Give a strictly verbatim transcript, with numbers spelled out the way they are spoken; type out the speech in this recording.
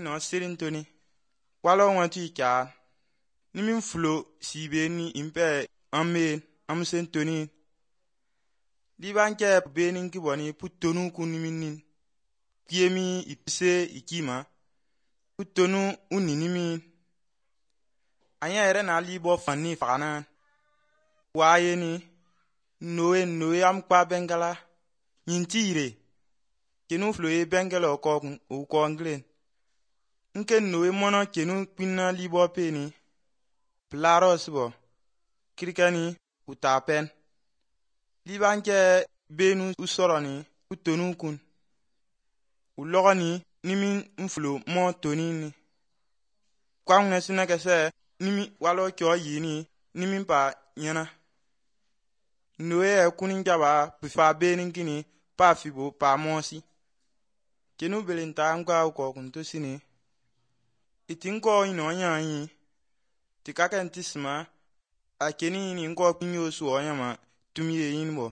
no sirin toni walo wanti ka nimin flo sibeni impe amen amsen toni di banke benin ki boni putonu kuniminin kiemi ipse ikima putonu uninimi anya ere na libo fanni fana wayeni noe noe am kwa bengala nyintire kenu flo e bengala ko ko nglen nke noe mono kenu pinna libo peni plaros bo kirikani utapen libanke benu usoroni utonu kun ulogani nimi mflo mo tonini kwangna sinakase nimi walo kyo yini nimi pa yana noe kunin jaba pifa benin kini pa fibo pa mosi kenu belinta ngwa ko kunto sini itinko ino nyanyi tikaka ntisma akeni ni ngo kunyo so nyama tumiye yinbo.